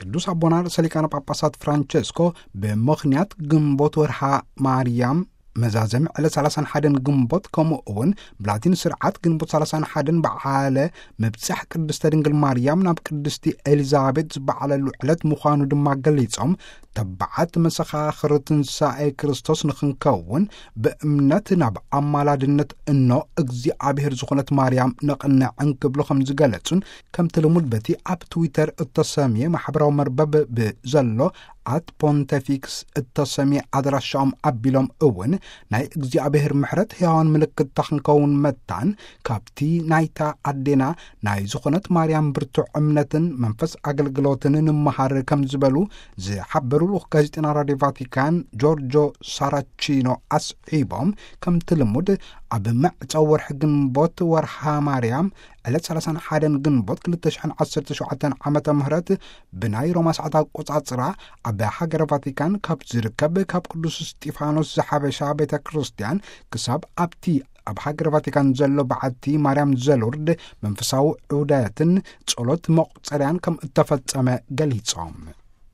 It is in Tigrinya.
ቅዱስ ኣቦና ርእሰ ሊቃነ ጳጳሳት ፍራንቸስኮ ብምኽንያት ግንቦት ወርሃ ማርያም መዛዘሚ ዕለት ሰላሳን ሓደን ግንቦት፣ ከምኡ እውን ብላቲን ስርዓት ግንቦት ሰላሳን ሓደን በዓለ ምብጻሕ ቅድስተ ድንግል ማርያም ናብ ቅድስቲ ኤሊዛቤት ዝበዓለሉ ዕለት ምዃኑ ድማ ገሊጾም፣ ተባዓት መሰኻኽር ትንሳኤ ክርስቶስ ንኽንከውን ብእምነት ናብ ኣማላድነት እኖ እግዚኣብሔር ዝኾነት ማርያም ነቕንዕ እንክብሉ ከም ዝገለጹን፣ ከምቲ ልሙድ በቲ ኣብ ትዊተር እተሰምየ ማሕበራዊ መርበብ ብዘሎ ኣት ፖንተፊክስ እተሰምየ ኣድራሻኦም ኣቢሎም እውን ናይ እግዚኣብሔር ምሕረት ሕያዋን ምልክት ክንከውን መታን ካብቲ ናይታ ኣዴና ናይ ዝኾነት ማርያም ብርቱዕ እምነትን መንፈስ ኣገልግሎትን ንምሃር ከም ዝበሉ ዝሓበሩ ልኡኽ ጋዜጠና ራድዮ ቫቲካን ጆርጆ ሳራቺኖ ኣስዒቦም፣ ከምቲ ልሙድ ኣብ መዕጸዊ ወርሒ ግንቦት ወርሃ ማርያም ዕለት ሰላሳን ሓደን ግንቦት ክልተ ሽሕን ዓሰርተ ሸውዓተን ዓመተ ምህረት ብናይ ሮማ ሰዓት ኣቆጻጽራ ኣብ ሃገረ ቫቲካን ካብ ዝርከብ ካብ ቅዱስ እስጢፋኖስ ዘሓበሻ ቤተ ክርስቲያን ክሳብ ኣብቲ ኣብ ሃገረ ቫቲካን ዘሎ በዓቲ ማርያም ዘሎርድ መንፈሳዊ ዑደትን ጸሎት መቑጸርያን ከም እተፈጸመ ገሊጾም።